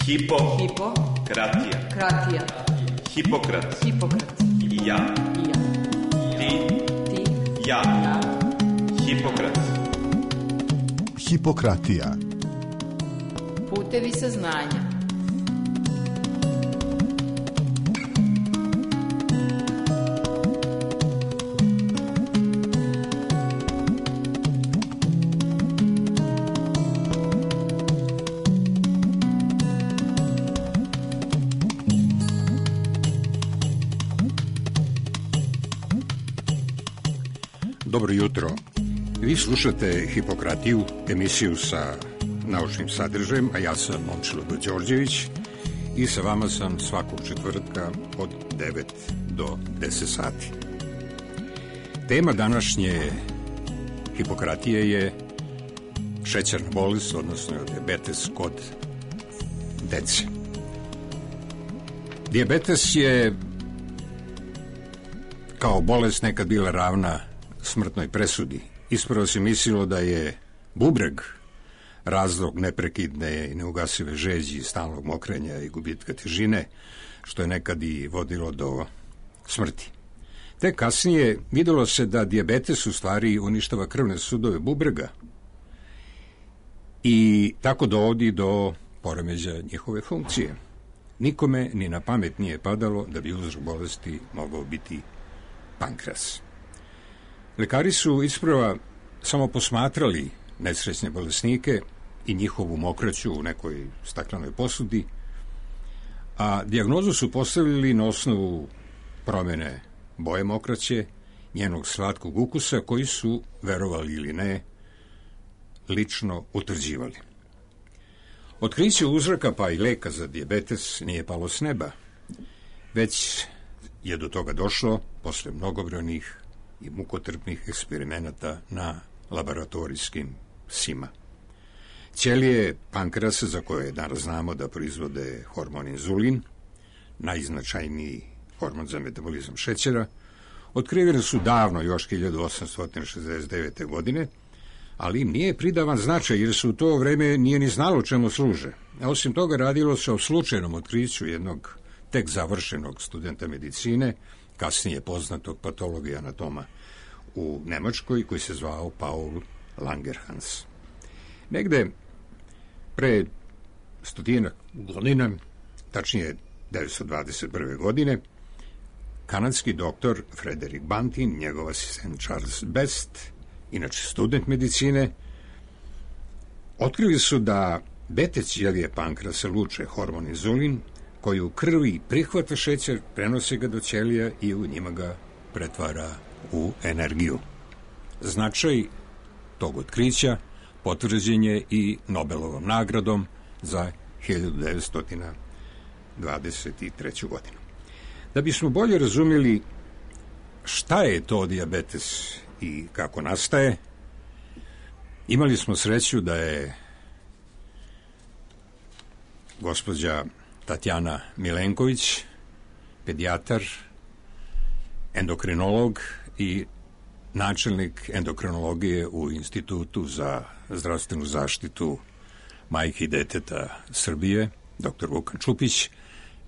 Hipokratija. Hipokrat. Ja. Ti. Ja. Hipokrat. Hipokratija. Putevi saznanja. Dobro jutro. Vi slušate Hipokratiju, emisiju sa naučnim sadržajem, a ja sam Momčilo Đorđević i sa vama sam svakog četvrtka od 9 do 10 sati. Tema današnje Hipokratije je šećerna bolest, odnosno dijabetes kod dece. Dijabetes je kao bolest nekad bila ravna smrtnoj presudi. Ispravo se mislilo da je bubreg razlog neprekidne i neugasive žeđi, stalnog mokrenja i gubitka težine, što je nekad i vodilo do smrti. Tek kasnije videlo se da dijabetes u stvari uništava krvne sudove bubrega i tako dovodi do poremeđaja njihove funkcije. Nikome ni na pamet nije padalo da bi uzrok bolesti mogao biti pankreas. Lekari su isprva samo posmatrali nesrećne bolesnike i njihovu mokraću u nekoj staklenoj posudi, a dijagnozu su postavili na osnovu promene boje mokraće, njenog slatkog ukusa, koji su, verovali ili ne, lično utvrđivali. Otkriće uzroka pa i leka za dijabetes nije palo s neba, već je do toga došlo posle mnogobrojnih i mukotrpnih eksperimenata na laboratorijskim psima. Ćelije pankreasa, za koje danas znamo da proizvode hormon inzulin, najznačajniji hormon za metabolizam šećera, otkrivene su davno, još 1869. godine, ali im nije pridavan značaj, jer se u to vreme nije ni znalo čemu služe. A osim toga, radilo se o slučajnom otkriću jednog tek završenog studenta medicine, kasnije poznatog patologa i anatoma u Nemačkoj, koji se zvao Paul Langerhans. Negde pre 100 godina, tačnije 1921. godine, kanadski doktor Frederick Banting, njegov asistent Charles Best, inače student medicine, otkrili su da bete ćelije pankreasa luče hormon inzulin, koji u krvi prihvata šećer, prenosi ga do ćelija i u njima ga pretvara u energiju. Značaj tog otkrića potvrđen je i Nobelovom nagradom za 1923. godinu. Da bismo bolje razumjeli šta je to dijabetes i kako nastaje, imali smo sreću da je gospođa Tatjana Milenković, pedijatar, endokrinolog i načelnik endokrinologije u Institutu za zdravstvenu zaštitu majke i deteta Srbije, dr. Vukan Čupić,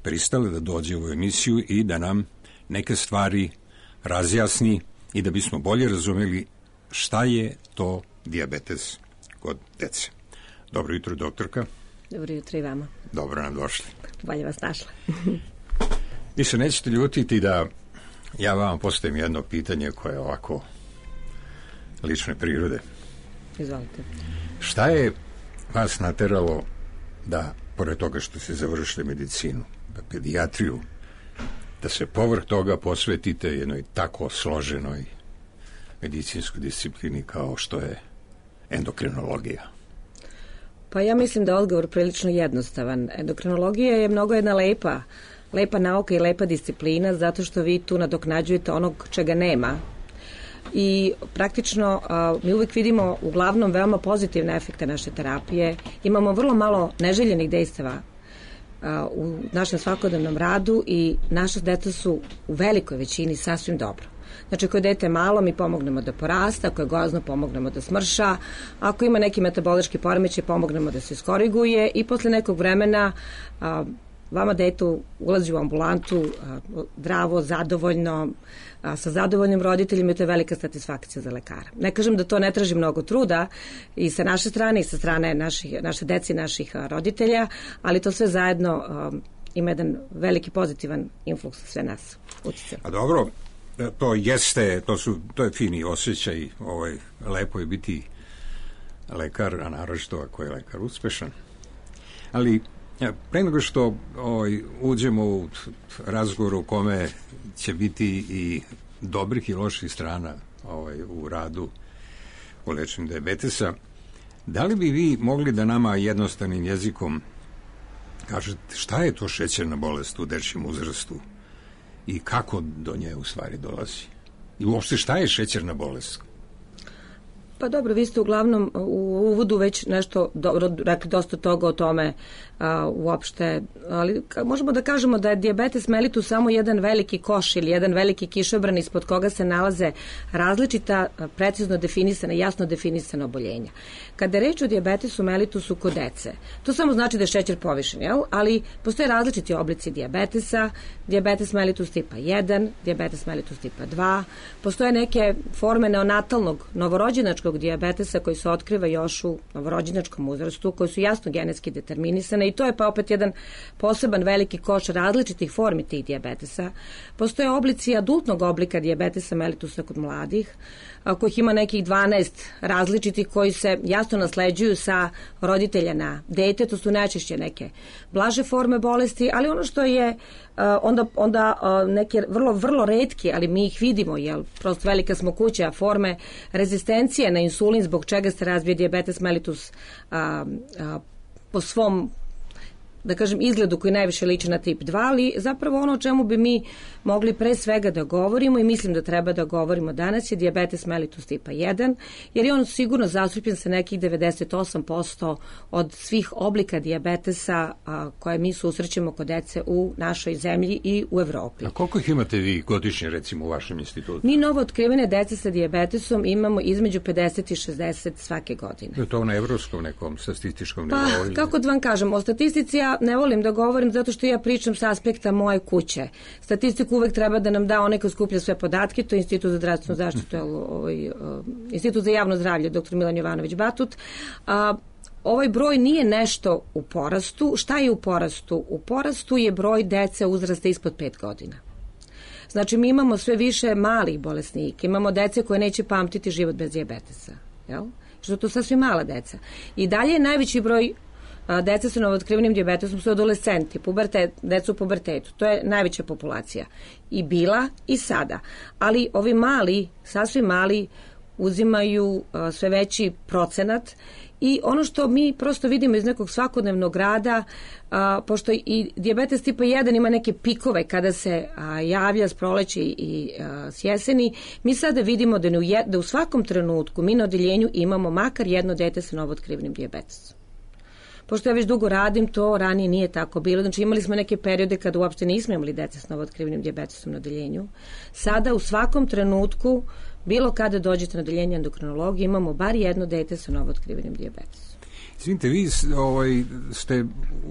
pristale da dođe u emisiju i da nam neke stvari razjasni i da bismo bolje razumjeli šta je to dijabetes kod dece. Dobro jutro, doktorka. Dobro jutro i vama. Dobro nam došli. Bolje vas našla. Vi se nećete ljutiti da ja vam postavim jedno pitanje koje je ovako lične prirode. Izvolite. Šta je vas nateralo da, pored toga što ste završili medicinu, pedijatriju, da se povrh toga posvetite jednoj tako složenoj medicinskoj disciplini kao što je endokrinologija? Pa ja mislim da je odgovor prilično jednostavan. Endokrinologija je mnogo jedna lepa nauka i lepa disciplina, zato što vi tu nadoknađujete onog čega nema. I praktično mi uvijek vidimo uglavnom veoma pozitivne efekte naše terapije. Imamo vrlo malo neželjenih dejstava u našem svakodnevnom radu i naša deca su u velikoj većini sasvim dobro. Znači, ako je dete malo, mi pomognemo da porasta, ako je gozno, pomognemo da smrša, ako ima neki metabolički poremećaj, pomognemo da se iskoriguje i posle nekog vremena vama detu ulazi u ambulantu zdravo, zadovoljno, sa zadovoljnim roditeljima i to je velika satisfakcija za lekara. Ne kažem da to ne traži mnogo truda i sa naše strane i sa strane naše dece i naših roditelja, ali to sve zajedno ima jedan veliki pozitivan influks sve nas utjecaj. A dobro, to jeste, to je fini osjećaj, lepo je biti lekar, a naročito ako je lekar uspešan. Ali pre nego što uđemo u razgovor u kome će biti i dobrih i loših strana u radu u lečenju dijabetesa, da li bi vi mogli da nama jednostavnim jezikom kažete šta je to šećerna bolest u dečjem uzrastu i kako do nje u stvari dolazi? I uopšte šta je šećerna bolest? Pa dobro, vi ste uglavnom u uvodu već nešto rekli dosta toga o tome uopšte, ali možemo da kažemo da je dijabetes mellitus samo jedan veliki koš ili jedan veliki kišobran ispod koga se nalaze različita, precizno definisana, jasno definisana oboljenja. Kada je reč o dijabetesu mellitusu kod dece, to samo znači da je šećer povišen, jel? Ali postoje različiti oblici dijabetesa, dijabetes mellitus tipa 1, dijabetes mellitus tipa 2, postoje neke forme neonatalnog, novorođenačkog dijabetesa koji se otkriva još u novorođenačkom uzrastu, koji su jasno genetski determinisane i to je pa opet jedan poseban veliki koš različitih formi tih dijabetesa. Postoje oblici adultnog oblika dijabetesa mellitusa kod mladih, kojih ima nekih 12 različitih koji se jasno nasleđuju sa roditelja na dete, to su najčešće neke blaže forme bolesti, ali ono što je onda neke vrlo retki, ali mi ih vidimo, jer prosto velika smo kuća, forme rezistencije na insulin zbog čega se razvije dijabetes mellitus po svom, da kažem, izgledu koji najviše liči na tip 2, ali zapravo ono o čemu bi mi mogli pre svega da govorimo i mislim da treba da govorimo danas je dijabetes mellitus tipa 1, jer je on sigurno zastupljen sa nekih 98% od svih oblika dijabetesa koje mi susrećemo kod dece u našoj zemlji i u Evropi. A koliko ih imate vi godišnje, recimo, u vašem institutu? Mi novo otkrivene dece sa dijabetesom imamo između 50 i 60 svake godine. Je to na evropskom nekom statističkom nivou? Pa, kako da vam kažem, o statistici ja ne volim da govorim zato što ja pričam sa aspekta moje kuće. Statistiku uvek treba da nam da onaj ko skuplja sve podatke, to je Institut za zdravstvenu zaštitu, Institut za javno zdravlje, dr. Milan Jovanović Batut. Ovaj broj nije nešto u porastu. Šta je u porastu? U porastu je broj dece uzrasta ispod 5 godina. Znači, mi imamo sve više malih bolesnika, imamo dece koje neće pamtiti život bez dijabetesa. Jel? Što to sasvim mala deca. I dalje je najveći broj deca sa novootkrivenim dijabetesom su adolescenti, deca u pubertetu. To je najveća populacija. I bila i sada. Ali ovi mali, sasvim mali, uzimaju sve veći procenat i ono što mi prosto vidimo iz nekog svakodnevnog rada, pošto i dijabetes tipa 1 ima neke pikove kada se javlja s proleća i s jeseni, mi sada vidimo da u svakom trenutku mi na odeljenju imamo makar jedno dete sa novootkrivenim dijabetesom. Pošto ja već dugo radim, to ranije nije tako bilo. Znači imali smo neke periode kada uopšte nismo imali dece s novootkrivenim dijabetesom na odeljenju. Sada u svakom trenutku, bilo kada dođete na odeljenje endokrinologije, imamo bar jedno dete sa novootkrivenim dijabetesom. Izvinite, vi ste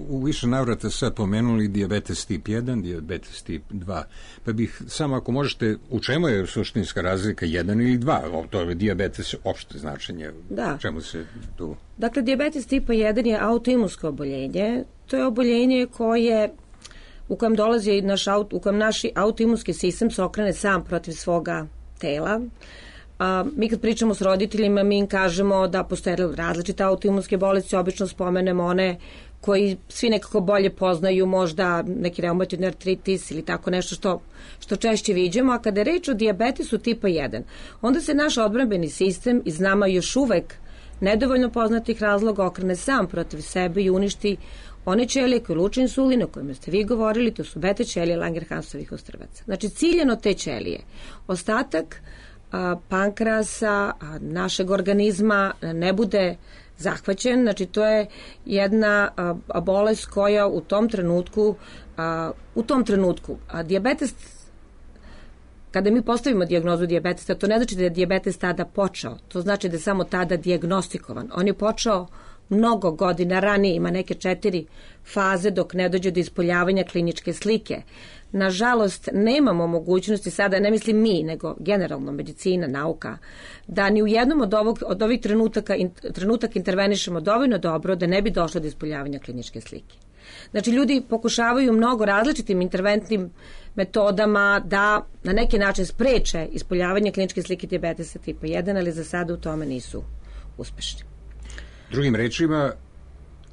u više navrata sad pomenuli dijabetes tip 1, dijabetes tip 2. Pa bih samo ako možete, u čemu je suštinska razlika 1 ili 2? To je dijabetes opšte značenje. Da. Čemu se tu... Dakle, dijabetes tipa 1 je autoimunsko oboljenje. To je oboljenje u kojem dolazi u kojem naš autoimunski sistem se okrene sam protiv svoga tela. Mi kad pričamo s roditeljima, mi im kažemo da postoje različite autoimunske bolesti, obično spomenemo one koji svi nekako bolje poznaju, možda neki reumatoidni artritis ili tako nešto što češće viđemo, a kada je reč o dijabetesu tipa 1, onda se naš odbrambeni sistem iz nama još uvek nedovoljno poznatih razloga okrene sam protiv sebe i uništi one ćelije koje luče insulin, o kojima ste vi govorili, to su beta ćelije Langerhansovih ostrvaca. Znači, ciljano te ćelije. Ostatak pankrasa, našeg organizma ne bude zahvaćen, znači to je jedna bolest koja u tom trenutku dijabetes kada mi postavimo dijagnozu dijabetesa, to ne znači da je dijabetes tada počeo, to znači da je samo tada dijagnostikovan. On je počeo mnogo godina ranije, ima neke 4 faze dok ne dođe do ispoljavanja kliničke slike. Nažalost, nemamo mogućnosti sada, ne mislim mi, nego generalno medicina, nauka, da ni u jednom od ovih trenutaka intervenišemo dovoljno dobro da ne bi došlo do ispoljavanja kliničke slike. Znači, ljudi pokušavaju mnogo različitim interventnim metodama da na neki način spreče ispoljavanje kliničke slike dijabetesa tipa 1, ali za sada u tome nisu uspešni. Drugim rečima,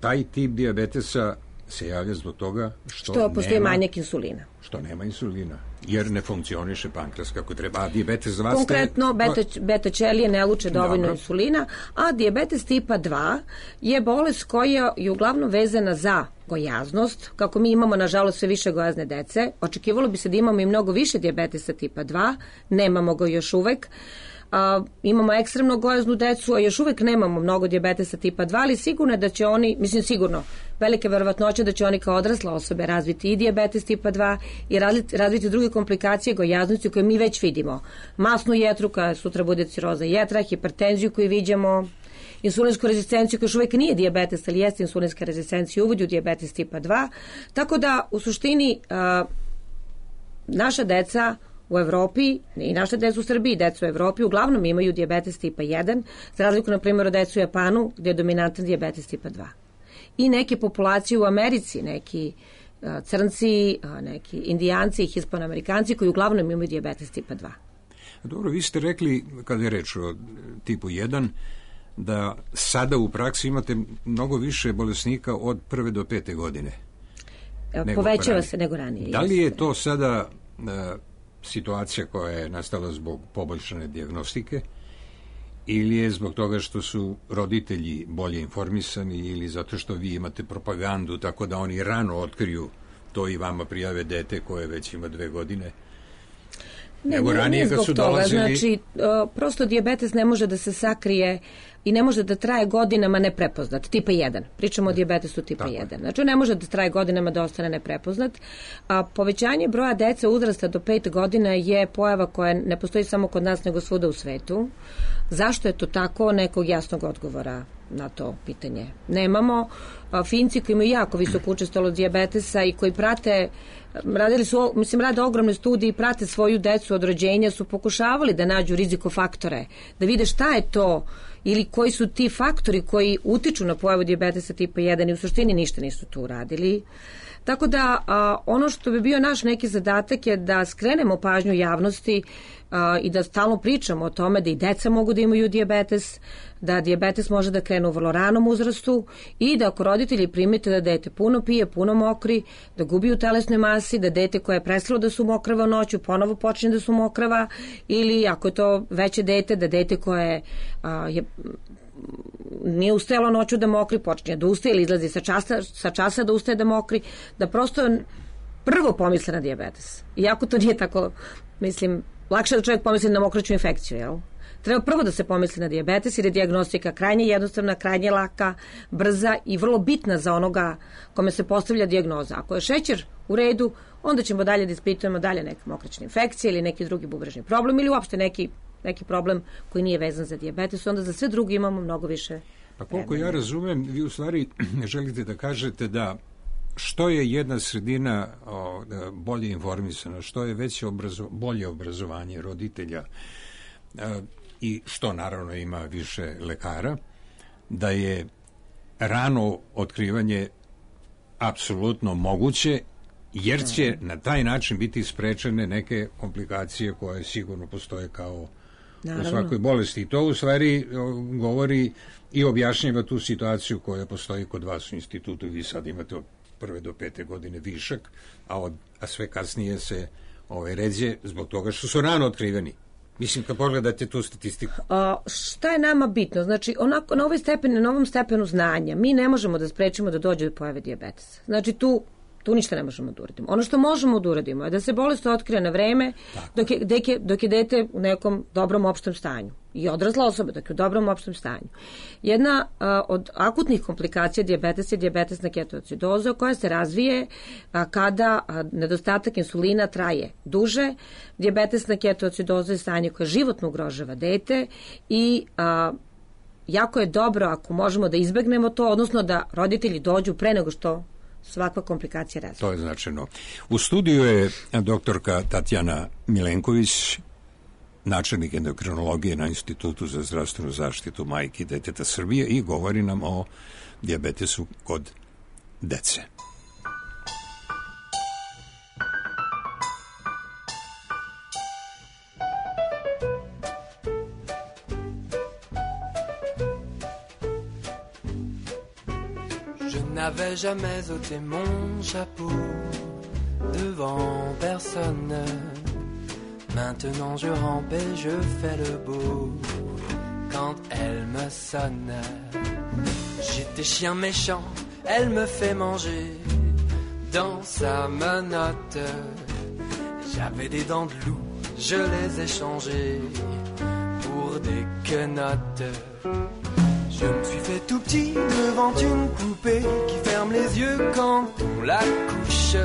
taj tip dijabetesa se javlja zbog toga što postoji manjak insulina. Što nema insulina, jer ne funkcioniše pankreas kako treba. A dijabetes za vas... Konkretno, beta ćelije ne luče dovoljno insulina, a dijabetes tipa 2 je bolest koja je uglavnom vezana za gojaznost. Kako mi imamo, nažalost, sve više gojazne dece, očekivalo bi se da imamo i mnogo više dijabetesa tipa 2, nemamo ga još uvek. Imamo ekstremno gojaznu decu, a još uvek nemamo mnogo dijabetesa tipa 2, ali sigurno je da će oni, sigurno, velike verovatnoće da će oni kao odrasle osobe razviti i dijabetes tipa 2 i razviti druge komplikacije gojaznosti koje mi već vidimo. Masnu jetru, koja sutra bude ciroza jetra, hipertenziju koju viđamo, insulinsku rezistenciju koja još uvek nije dijabetes, ali jeste insulinska rezistencija, uvodi u dijabetes tipa 2. Tako da, u suštini, naša deca u Evropi i naše deca u Srbiji, deca u Evropi uglavnom imaju dijabetes tipa 1, za razliku na primjer od deca u Japanu gdje je dominantan dijabetes tipa 2. I neke populacije u Americi, neki crnci, neki indijanci i hispanoamerikanci koji uglavnom imaju dijabetes tipa 2. Dobro, vi ste rekli, kada je reč o tipu 1, da sada u praksi imate mnogo više bolesnika od 1. do 5. godine. Povećava se nego ranije. Da li je to sada situacija koja je nastala zbog poboljšane dijagnostike ili je zbog toga što su roditelji bolje informisani ili zato što vi imate propagandu tako da oni rano otkriju to i vama prijave dete koje već ima 2 godine? Nego ranije kad su dolazili... Znači, prosto dijabetes ne može da se sakrije i ne može da traje godinama neprepoznat, tipa 1. Pričamo o dijabetesu tipa 1. Znači, ne može da traje godinama da ostane neprepoznat. A povećanje broja dece uzrasta do 5 godina je pojava koja ne postoji samo kod nas, nego svuda u svetu. Zašto je to tako? Nekog jasnog odgovora na to pitanje nemamo. Finci koji imaju jako visok učestalo dijabetesa i koji prate, rade ogromne studije i prate svoju decu od rođenja, su pokušavali da nađu rizikofaktore, da vide šta je to ili koji su ti faktori koji utiču na pojavu dijabetesa tipa 1 i u suštini ništa nisu tu uradili. Tako da ono što bi bio naš neki zadatak je da skrenemo pažnju javnosti i da stalno pričamo o tome da i deca mogu da imaju dijabetes, da dijabetes može da krene u vrlo ranom uzrastu i da ako roditelji primite da dete puno pije, puno mokri, da gubi u telesnoj masi, da dete koje je prestalo da su mokrava noću ponovo počne da su mokrava, ili ako je to veće dete, da dete koje nije ustajalo noću da mokri, počinje da ustaje ili izlazi sa časa da ustaje da mokri, da prosto prvo pomisle na dijabetes. Iako to nije tako, lakše da čovjek pomisli na mokraću infekciju, jel? Treba prvo da se pomisli na dijabetes jer je dijagnostika krajnje jednostavna, krajnje laka, brza i vrlo bitna za onoga kome se postavlja dijagnoza. Ako je šećer u redu, onda ćemo dalje da ispitujemo dalje neke mokraćne infekcije ili neki drugi bubrežni problem ili uopšte neki problem koji nije vezan za dijabetes, onda za sve drugi imamo mnogo više. Pa koliko ja razumem, vi u stvari želite da kažete da što je jedna sredina bolje informisana, što je veće bolje obrazovanje roditelja i što naravno ima više lekara, da je rano otkrivanje apsolutno moguće, jer će na taj način biti sprečene neke komplikacije koje sigurno postoje kao u svakoj bolesti. I to u stvari govori i objašnjava tu situaciju koja postoji kod vas u institutu. Vi sad imate od 1. do 5. godine višak, a sve kasnije se ređe zbog toga što su rano otkriveni. Mislim, kad pogledate tu statistiku. Šta je nama bitno? Znači, onako, na ovom stepenu znanja mi ne možemo da sprečimo da dođe do pojave dijabetesa. Znači, tu Tu ništa ne možemo da uradimo. Ono što možemo da uradimo je da se bolest otkrije na vreme dok je dete u nekom dobrom opštem stanju i odrasla osoba dok je u dobrom opštem stanju. Jedna od akutnih komplikacija dijabetesa je diabetesna ketoacidoza koja se razvije kada nedostatak insulina traje duže. Dijabetesna ketoacidoza je stanje koje životno ugrožava dete i jako je dobro ako možemo da izbegnemo to, odnosno da roditelji dođu pre nego što svakva komplikacija razvija. To je značajno. U studiju je doktorka Tatjana Milenković, načelnik endokrinologije na Institutu za zdravstvenu zaštitu majke i deteta Srbije i govori nam o dijabetesu kod dece. N'avais jamais ôté mon chapeau devant personne. Maintenant je rampe et je fais le beau quand elle me sonne. J'étais chien méchant, elle me fait manger dans sa menotte. J'avais des dents de loup, je les ai changées pour des quenottes. Je me suis fait tout petit devant une poupée qui ferme les yeux quand on la couche.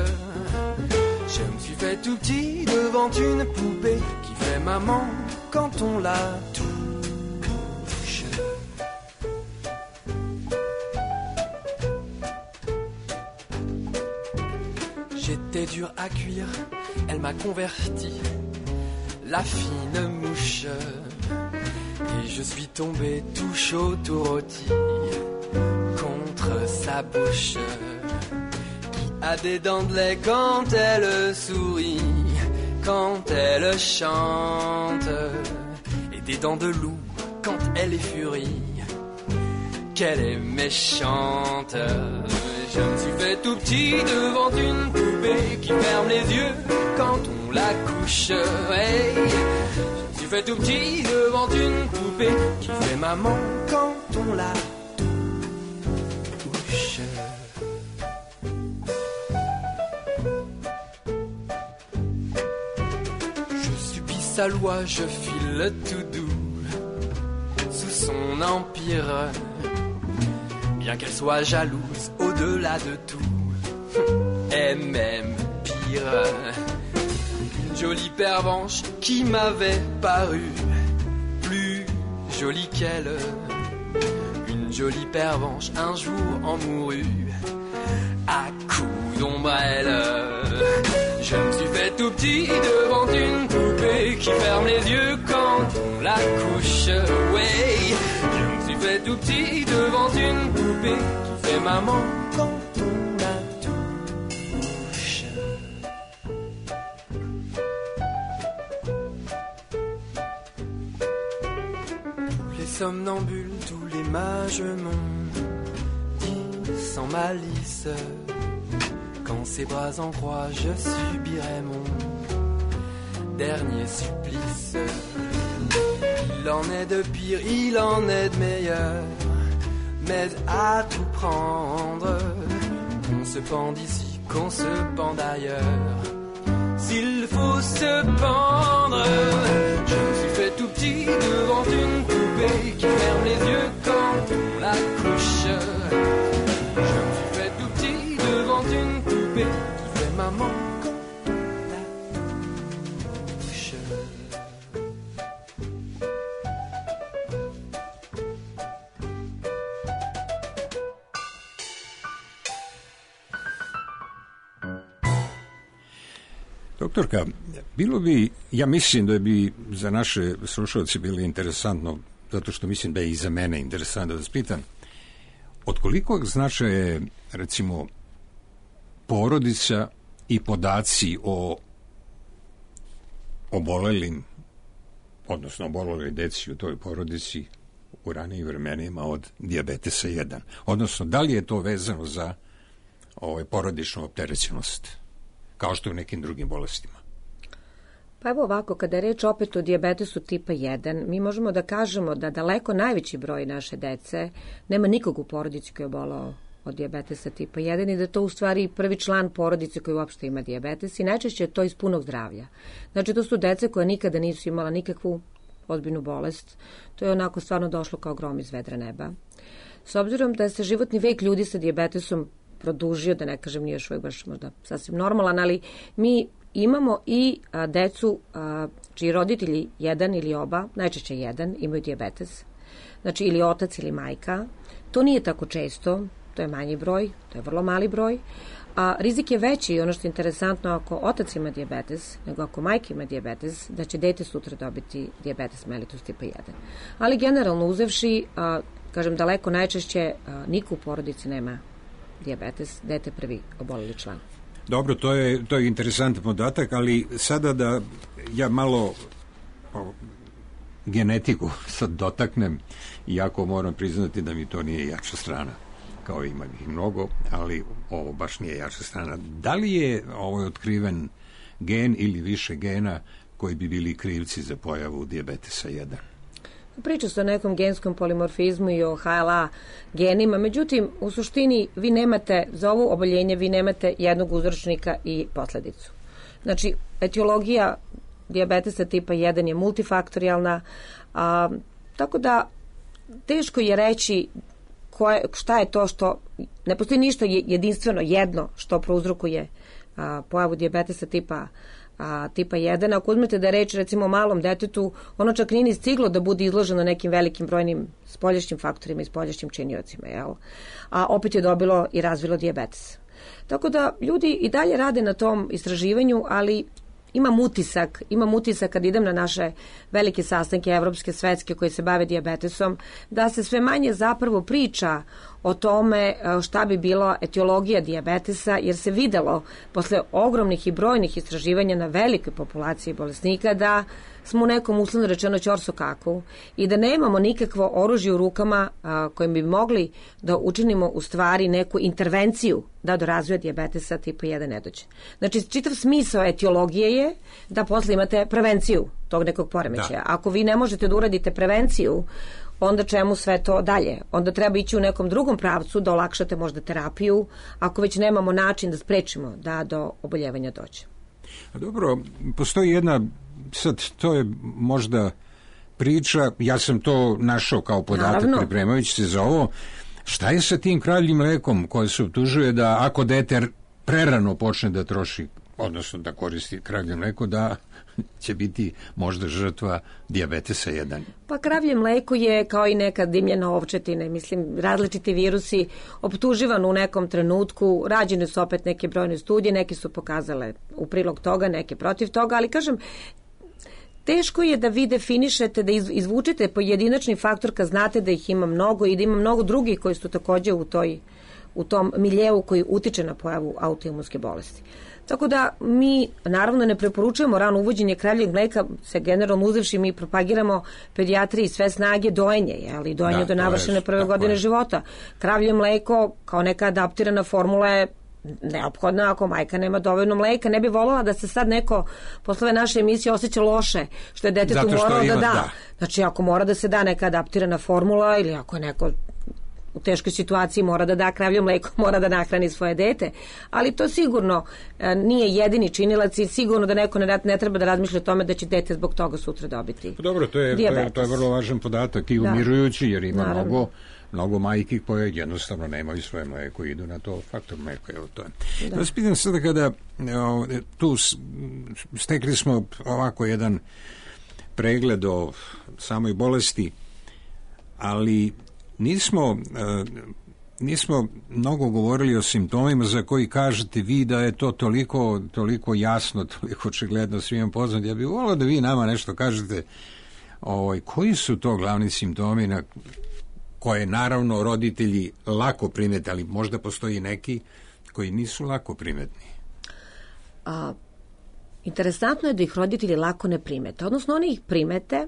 Je me suis fait tout petit devant une poupée qui fait maman quand on la touche. J'étais dur à cuire, elle m'a converti, la fine mouche. Et je suis tombé tout chaud, tout rôti contre sa bouche qui a des dents de lait quand elle sourit, quand elle chante, et des dents de loup quand elle est furie, qu'elle est méchante. Je me suis fait tout petit devant une poupée qui ferme les yeux quand on la couche. Hey, je me suis fait tout petit devant une poupée qui fait maman quand on la touche. Je subis sa loi, je file tout doux sous son empire. Bien qu'elle soit jalouse au-delà de tout, et même pire, une jolie pervenche qui m'avait paru plus jolie qu'elle. Une jolie pervenche un jour en mourut à coups d'ombrelle. Je me suis fait tout petit devant une poupée qui ferme les yeux quand on la couche. Ouais, je me suis fait tout petit devant une poupée qui fait maman quand on la touche. Tous les somnambules, tous les mages m'ont dit sans malice, quand ses bras en croix je subirai mon dernier supplice. Il en est de pire, il en est de meilleur, mais à tout prendre, qu'on se pend ici, qu'on se pend ailleurs. S'il faut se pendre, je me suis fait tout petit devant une poupée qui ferme les yeux quand on la couche. Je me suis fait tout petit devant une poupée qui fait maman quand on la touche. Doktorka, bilo bi, ja mislim da bi za naše slušalce bilo interesantno, zato što mislim da je i za mene interesantno da vas pitam, od kolikog značaja je, recimo, porodica i podaci o obolelim, odnosno oboleloj deci u toj porodici u ranijim vremenima od dijabetesa 1. Odnosno, da li je to vezano za porodičnu opterećenost, kao što je u nekim drugim bolestima? Pa evo ovako, kada je reč opet o dijabetesu tipa 1, mi možemo da kažemo da daleko najveći broj naše dece nema nikog u porodici koji je obolao od dijabetesa tipa 1 i da to u stvari prvi član porodice koji uopšte ima dijabetes i najčešće je to iz punog zdravlja. Znači to su dece koja nikada nisu imala nikakvu ozbiljnu bolest. To je onako stvarno došlo kao grom iz vedra neba. S obzirom da se životni vek ljudi sa dijabetesom produžio, da ne kažem nije još uvijek baš možda sasvim normalan, ali mi imamo i decu čiji roditelji jedan ili oba, najčešće jedan, imaju dijabetes. Znači ili otac ili majka. To nije tako često, to je manji broj, to je vrlo mali broj. A rizik je veći, ono što je interesantno, ako otac ima dijabetes, nego ako majka ima dijabetes, da će dete sutra dobiti dijabetes mellitus tipa 1. Ali generalno uzevši, kažem daleko najčešće, niko u porodici nema dijabetes, dete prvi oboleli član. Dobro, to je interesantan podatak, ali sada da ja malo genetiku sad dotaknem, iako moram priznati da mi to nije jača strana, kao ima ih mnogo, ali ovo baš nije jača strana. Da li je ovo otkriven gen ili više gena koji bi bili krivci za pojavu dijabetesa 1? Priča se o nekom genskom polimorfizmu i o HLA genima, međutim, u suštini vi nemate, za ovo oboljenje vi nemate jednog uzročnika i posledicu. Znači, etiologija dijabetesa tipa 1 je multifaktorijalna, tako da teško je reći šta je to što, ne postoji ništa jedinstveno jedno što prouzrokuje pojavu dijabetesa tipa 1. Ako uzmete da je reč recimo o malom detetu, ono čak nije ni stiglo da bude izloženo nekim velikim brojnim spoljašnjim faktorima i spoljašnjim činiocima, jel? A opet je dobilo i razvilo dijabetes. Tako da ljudi i dalje rade na tom istraživanju, ali imam utisak kad idem na naše velike sastanke evropske, svetske koje se bave dijabetesom, da se sve manje zapravo priča o tome šta bi bilo etiologija dijabetesa, jer se videlo posle ogromnih i brojnih istraživanja na velikoj populaciji bolesnika da smo u nekom uslovno rečeno ćorsokaku i da nemamo nikakvo oružje u rukama kojim bi mogli da učinimo u stvari neku intervenciju da do razvoja dijabetesa tipa 1 ne dođe. Znači, čitav smisao etiologije je da posle imate prevenciju tog nekog poremećaja. Ako vi ne možete da uradite prevenciju, onda čemu sve to dalje? Onda treba ići u nekom drugom pravcu da olakšate možda terapiju, ako već nemamo način da sprečimo da do oboljevanja dođe. Dobro, postoji jedna, sad to je možda priča, ja sam to našao kao podatak pripremajući se za ovo, šta je sa tim kravljim mlekom koje se optužuje da ako dete prerano počne da troši, odnosno da koristi kravlje mleko, da će biti možda žrtva dijabetesa 1? Pa kravlje mleko je kao i neka dimljena ovčetina, mislim, različiti virusi optuživan u nekom trenutku, rađene su opet neke brojne studije, neke su pokazale u prilog toga, neke protiv toga, ali kažem, teško je da vi definišete, da izvučete pojedinačni faktor kad znate da ih ima mnogo i da ima mnogo drugih koji su takođe u tom miljeu koji utiče na pojavu autoimunske bolesti. Tako da mi naravno ne preporučujemo rano uvođenje kravljeg mleka, se generalno uzevši mi propagiramo pedijatriji sve snage dojenje, ali dojenje do navršene prve godine života. Kravlje mleko kao neka adaptirana formula je neophodna ako majka nema dovoljno mleka. Ne bi voljela da se sad neko posle ove naše emisije osjeća loše što je detetu moralo da da. Znači ako mora da se da neka adaptirana formula ili ako je neko u teškoj situaciji mora da da kravlje mleko, mora da nahrani svoje dete. Ali to sigurno nije jedini činilac i sigurno da neko ne treba da razmišlja o tome da će dete zbog toga sutra dobiti. Dobro, to je vrlo važan podatak i umirujući, jer ima mnogo majki koje jednostavno nemaju svoje mleko i idu na to faktor mleko. Da vas pitam sada, kada tu stekli smo ovako jedan pregled o samoj bolesti, ali nismo mnogo govorili o simptomima za koji kažete vi da je to toliko jasno, toliko očigledno svima poznat. Ja bih volio da vi nama nešto kažete koji su to glavni simptomi na koje naravno roditelji lako primete, ali možda postoji neki koji nisu lako primetni. Interesantno je da ih roditelji lako ne primete. Odnosno oni ih primete,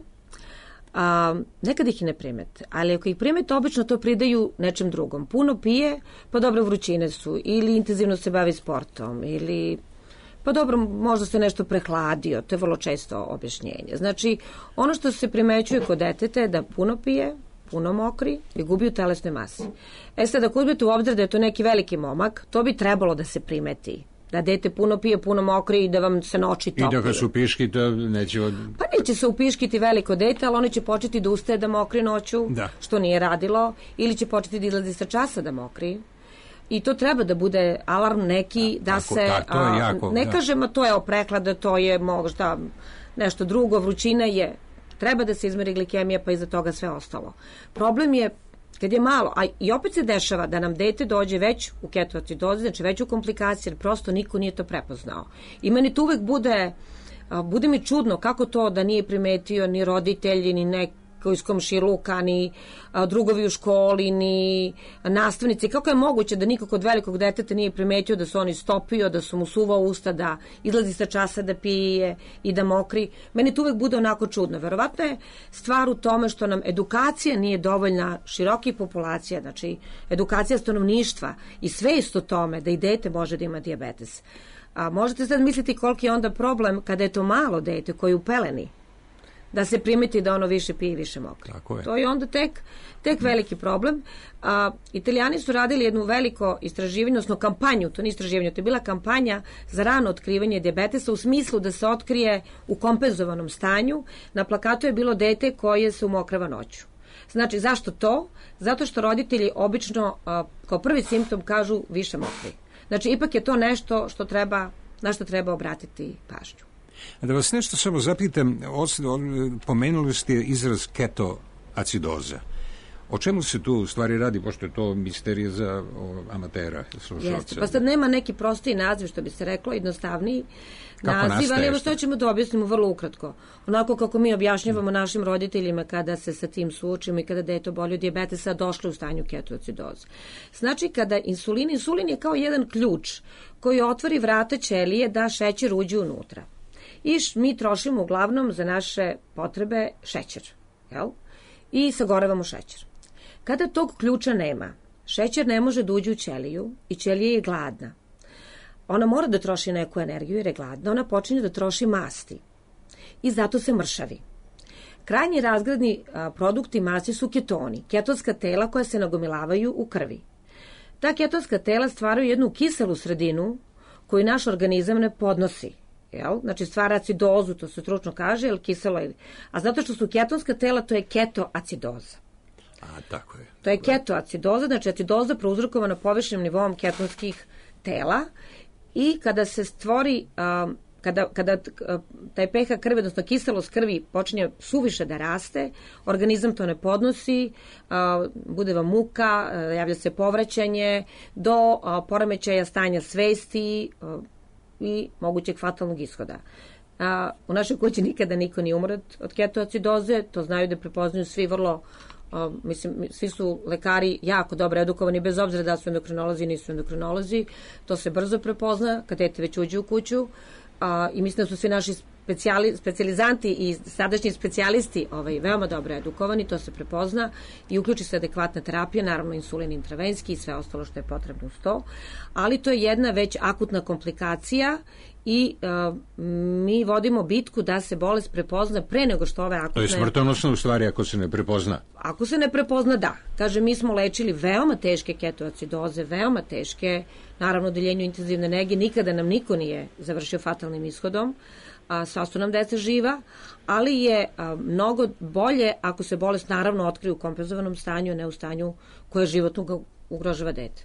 nekad ih i ne primete, ali ako ih primete, obično to pridaju nečem drugom. Puno pije, pa dobro vrućine su, ili intenzivno se bavi sportom, ili pa dobro, možda se nešto prehladio, to je vrlo često objašnjenje. Znači, ono što se primećuje kod deteta je da puno pije, puno mokri i gubi u telesnoj masi. Sad, ako uzmete u obzir da je to neki veliki momak, to bi trebalo da se primeti. Da dete puno pije, puno mokri i da vam se noći topi. I da ga se upiškite, neće... Pa neće se upiškiti veliko dete, ali oni će početi da ustaje da mokri noću, što nije radilo, ili će početi da izlazi sa časa da mokri. I to treba da bude alarm neki da se... Ne kažemo to je prehlada, to je možda nešto drugo, vrućina je... Treba da se izmeri glikemija, pa iza toga sve ostalo. Problem je kad je malo, a i opet se dešava da nam dete dođe već u ketoacidozi, znači već u komplikacije, jer prosto niko nije to prepoznao. I meni to uvek bude mi čudno kako to da nije primetio ni roditelji, ni neko iz komšiluka, ni drugovi u školi, ni nastavnici. Kako je moguće da niko kod velikog deteta nije primetio da se on istopio, da su mu suvao usta, da izlazi sa časa da pije i da mokri? Meni to uvek bude onako čudno. Verovatno je stvar u tome što nam edukacija nije dovoljna širokih populacija, znači edukacija stanovništva i svest o tome da i dete može da ima dijabetes. Možete sad misliti koliki je onda problem kada je to malo dete koji je u peleni, da se primeti da ono više pije i više mokri. To je onda tek veliki problem. Italijani su radili jednu veliko istraživanje, odnosno kampanju, to nije istraživanje, to je bila kampanja za rano otkrivanje dijabetesa u smislu da se otkrije u kompenzovanom stanju. Na plakatu je bilo dete koje se umokrava noću. Znači, zašto to? Zato što roditelji obično kao prvi simptom kažu više mokri. Znači, ipak je to nešto na što treba obratiti pažnju. Da vas nešto samo zapitam, pomenuli ste izraz ketoacidoza. O čemu se tu u stvari radi, pošto je to misterija za amatera, slušalca? Jeste, pa sad nema neki prostiji naziv, što bi se reklo, jednostavniji naziv, ali evo što ćemo da objasnimo vrlo ukratko. Onako kako mi objašnjavamo našim roditeljima kada se sa tim suočimo i kada dete oboli od dijabetesa, došlo u stanju ketoacidoze. Znači, kada insulin je kao jedan ključ koji otvori vrata ćelije da šećer uđe unutra. I mi trošimo uglavnom za naše potrebe šećer, jel? I sagorevamo šećer. Kada tog ključa nema, šećer ne može da uđe u ćeliju i ćelija je gladna. Ona mora da troši neku energiju jer je gladna, ona počinje da troši masti i zato se mršavi. Krajnji razgradni produkti masti su ketoni, ketonska tela koja se nagomilavaju u krvi. Ta ketonska tela stvaraju jednu kiselu sredinu koju naš organizam ne podnosi. Znači stvara acidozu, to se stručno kaže, jer kiselo je. A zato što su ketonska tela, to je ketoacidoza. Tako je. To je ketoacidoza, znači acidoza prouzrokovana površnim nivom ketonskih tela i kada se stvori, kada taj pH krvi, odnosno kiselost krvi počinje suviše da raste, organizam to ne podnosi, bude vam muka, javlja se povraćanje do poremećaja stanja svesti i mogućeg fatalnog ishoda. U našoj kući nikada niko nije umro od ketoacidoze, to znaju da prepoznaju svi vrlo, svi su lekari jako dobro edukovani, bez obzira da su endokrinolozi i nisu endokrinolozi, to se brzo prepozna kad dete već uđe u kuću i mislim da su svi naši specijalizanti i sadašnji specijalisti veoma dobro edukovani, to se prepozna i uključi se adekvatna terapija, naravno insulin intravenski i sve ostalo što je potrebno uz to, ali to je jedna već akutna komplikacija i mi vodimo bitku da se bolest prepozna pre nego što ove akutne... To je smrtonosno u stvari ako se ne prepozna. Ako se ne prepozna, da. Kaže, mi smo lečili veoma teške ketoacidoze, veoma teške, naravno odeljenju intenzivne nege, nikada nam niko nije završio fatalnim ishodom, sva su nam deca živa, ali je mnogo bolje ako se bolest naravno otkrije u kompenzovanom stanju, a ne u stanju koje životno ugrožava dete.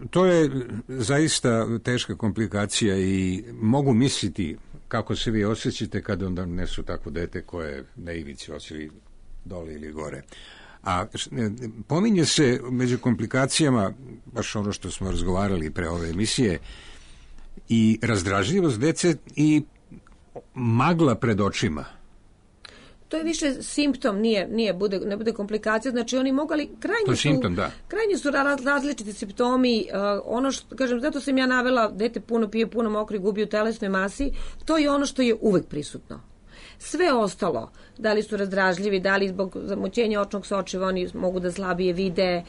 To je zaista teška komplikacija i mogu misliti kako se vi osjećate kada onda nesu takvo dete koje na ivici osili dole ili gore. A pominje se među komplikacijama, baš ono što smo razgovarali pre ove emisije, i razdražljivost dece i magla pred očima. To je više simptom, ne bude komplikacija, znači oni mogu, ali krajnji su različiti simptomi, ono što, kažem, zato sam ja navela, dete puno pije, puno mokri, gubi u telesnoj masi, to je ono što je uvek prisutno. Sve ostalo, da li su razdražljivi, da li zbog zamućenja očnog sočiva oni mogu da slabije vide,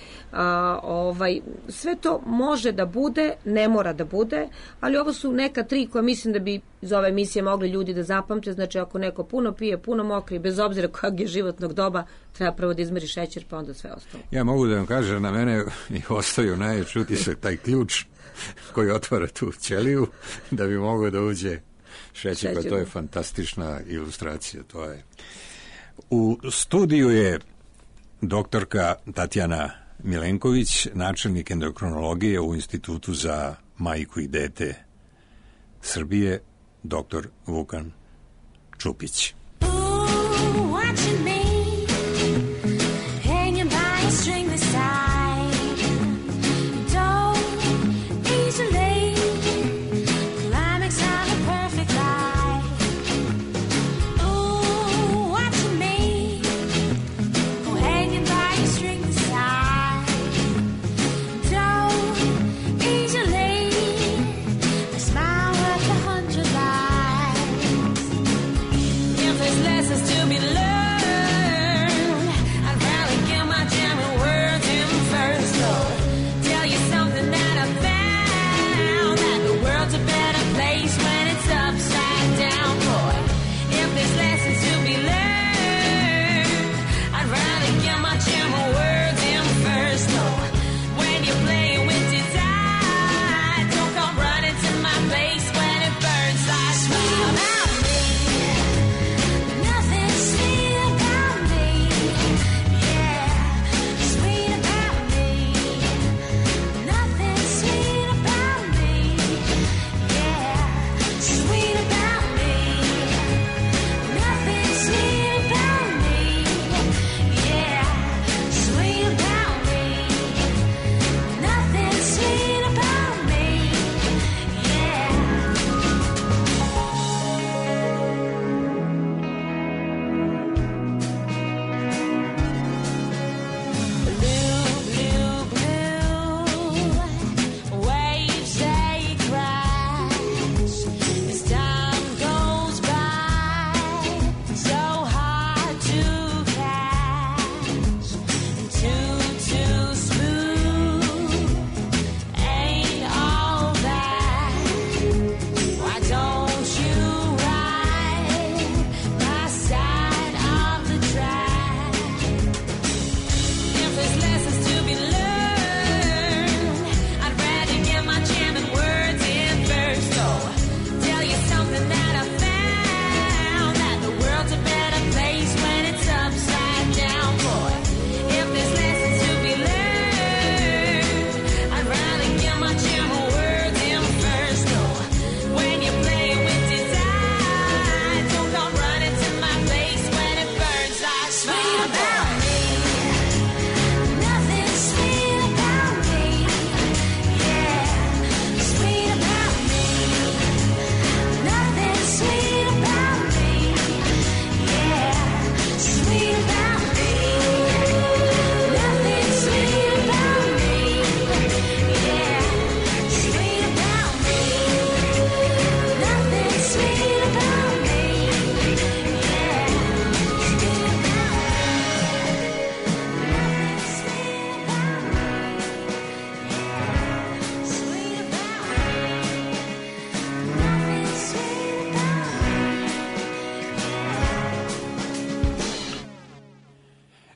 sve to može da bude, ne mora da bude, ali ovo su neka 3 koja mislim da bi iz ove emisije mogli ljudi da zapamte. Znači, ako neko puno pije, puno mokri, bez obzira kojeg je životnog doba, treba prvo da izmeri šećer, pa onda sve ostalo. Ja mogu da vam kažem, na mene ostaju najveći utisak taj ključ koji otvara tu ćeliju da bi mogao da uđe šećer, pa to je fantastična ilustracija. To je. U studiju je doktorka Tatjana Milenković, načelnik endokrinologije u Institutu za majku i dete Srbije, doktor Vukan Čupić.